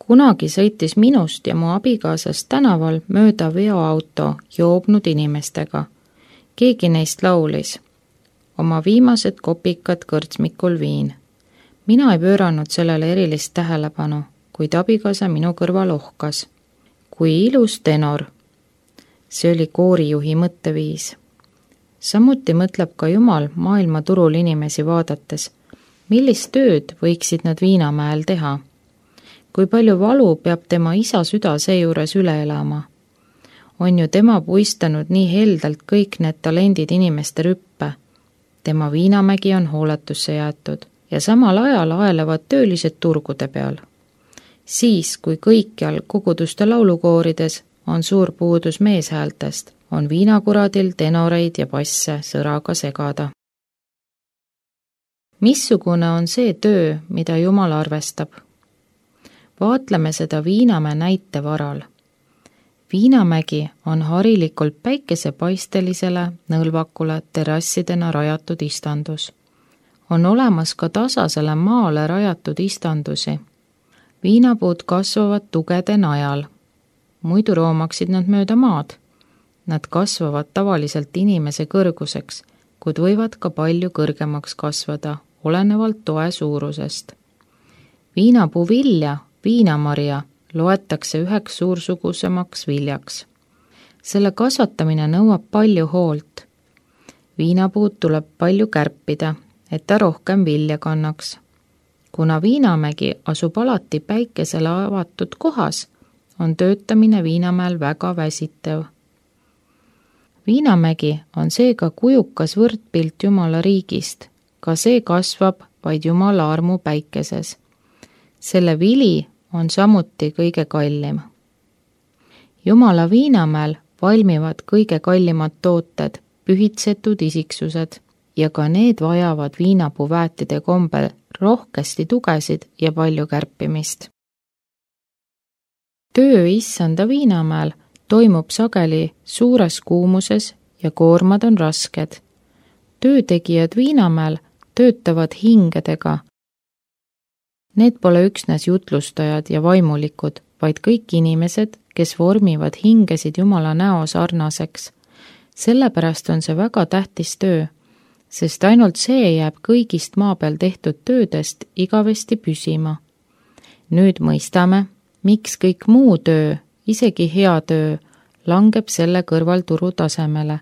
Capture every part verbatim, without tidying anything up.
Kunagi sõitis minust ja mu abikaasast tänaval mööda veoauto joobnud inimestega. Keegi neist laulis. Oma viimased kopikad kõrtsmikul viin. Mina ei pööranud sellele erilist tähelepanu, kuid abikaasa minu kõrval ohkas. Kui ilus tenor. See oli koorijuhi mõtteviis. Samuti mõtleb ka Jumal maailma turul inimesi vaadates, millist tööd võiksid nad Viinamäel teha. Kui palju valu peab tema isa süda seejuures üle elama. On ju tema puistanud nii heldalt kõik need talendid inimeste rüppe. Tema Viinamägi on hooletusse jäetud ja samal ajal aelevad töölised turgude peal. Siis, kui kõikjal koguduste laulukoorides on suur puudus meeshäältest, on viinakuradil tenoreid ja basse sõraga segada. Missugune on see töö, mida Jumal arvestab? Vaatleme seda Viinamäe näite varal. Viinamägi on harilikult päikesepaistelisele nõlvakule terrassidena rajatud istandus. On olemas ka tasasele maale rajatud istandusi. Viinapuud kasvavad tugede najal. Muidu roomaksid nad mööda maad. Nad kasvavad tavaliselt inimese kõrguseks, kuid võivad ka palju kõrgemaks kasvada, olenevalt toe suurusest. Viinapuu vilja, viinamarja, loetakse üheks suursugusemaks viljaks. Selle kasvatamine nõuab palju hoolt. Viinapuud tuleb palju kärpida, et ta rohkem vilja kannaks. Kuna Viinamägi asub alati päikesele avatud kohas, on töötamine Viinamäel väga väsitev. Viinamägi on seega kujukas võrdpilt Jumala riigist, ka see kasvab vaid Jumala armu päikeses. Selle vili on samuti kõige kallim. Jumala Viinamäel valmivad kõige kallimad tooted, pühitsetud isiksused ja ka need vajavad viinapuuväetide kombel rohkesti tugesid ja palju kärpimist. Töö issanda Viinamäel toimub sageli suures kuumuses ja koormad on rasked. Töötegijad Viinamäel töötavad hingedega. Need pole üksnes jutlustajad ja vaimulikud, vaid kõik inimesed, kes vormivad hingesid Jumala näo sarnaseks. Sellepärast on see väga tähtis töö, sest ainult see jääb kõigist maa peal tehtud töödest igavesti püsima. Nüüd mõistame, miks kõik muu töö, isegi hea töö, langeb selle kõrval turu tasemele.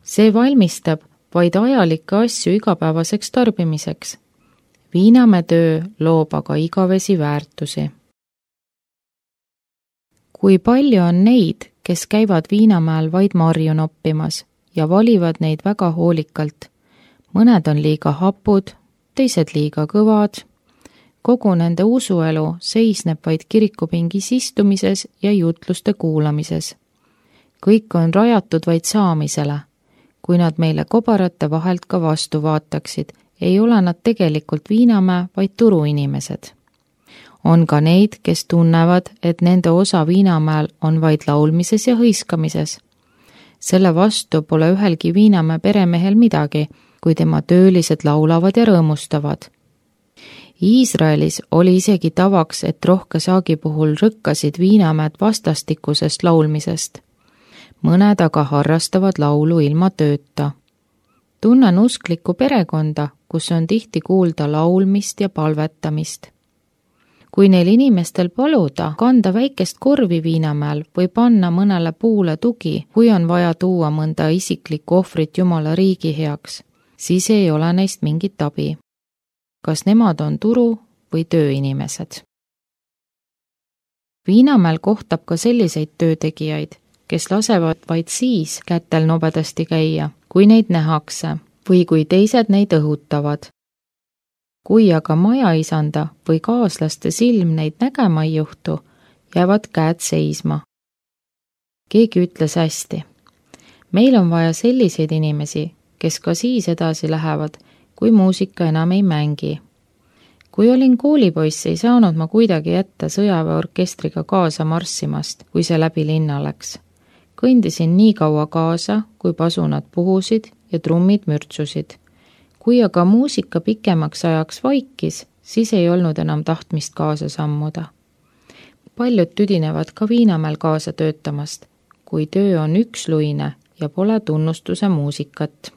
See valmistab vaid ajalikke asju igapäevaseks tarbimiseks. Viinamäe töö loob aga igavesi väärtusi. Kui palju on neid, kes käivad Viinamäel vaid marju noppimas ja valivad neid väga hoolikalt. Mõned on liiga hapud, teised liiga kõvad. Kogu nende usuelu seisneb vaid kirikupingis istumises ja jutluste kuulamises. Kõik on rajatud vaid saamisele. Kui nad meile kobarate vahelt ka vastu vaataksid, ei ole nad tegelikult Viinamäe, vaid turuinimesed. On ka neid, kes tunnevad, et nende osa Viinamäel on vaid laulmises ja hõiskamises. Selle vastu pole ühelgi Viinamäe peremehel midagi, kui tema töölised laulavad ja rõõmustavad. Iisraelis oli isegi tavaks, et rohke saagi puhul rõkkasid Viinamäed vastastikusest laulmisest. Mõned aga harrastavad laulu ilma tööta. Tunnen usklikku perekonda, kus on tihti kuulda laulmist ja palvetamist. Kui neil inimestel paluda kanda väikest korvi Viinamäel või panna mõnele puule tugi, kui on vaja tuua mõnda isiklikku ohvrit Jumala riigi heaks, siis ei ole neist mingit abi. Kas nemad on turu- või tööinimesed? Viinamäel kohtab ka selliseid töötegijaid, kes lasevad vaid siis kätel nobedasti käia, kui neid nähakse või kui teised neid õhutavad. Kui aga majaisanda või kaaslaste silm neid nägema ei juhtu, jäävad käed seisma. Keegi ütles hästi. Meil on vaja selliseid inimesi, kes ka siis edasi lähevad, kui muusika enam ei mängi. Kui olin koolipoiss, ei saanud ma kuidagi jätta sõjaväeorkestriga kaasa marssimast, kui see läbi linna läks. Kõndisin nii kaua kaasa, kui pasunad puhusid ja trummid mürtsusid. Kui aga muusika pikemaks ajaks vaikis, siis ei olnud enam tahtmist kaasa sammuda. paljud tüdinevad ka Viinamäel kaasa töötamast, kui töö on üksluine ja pole tunnustuse muusikat.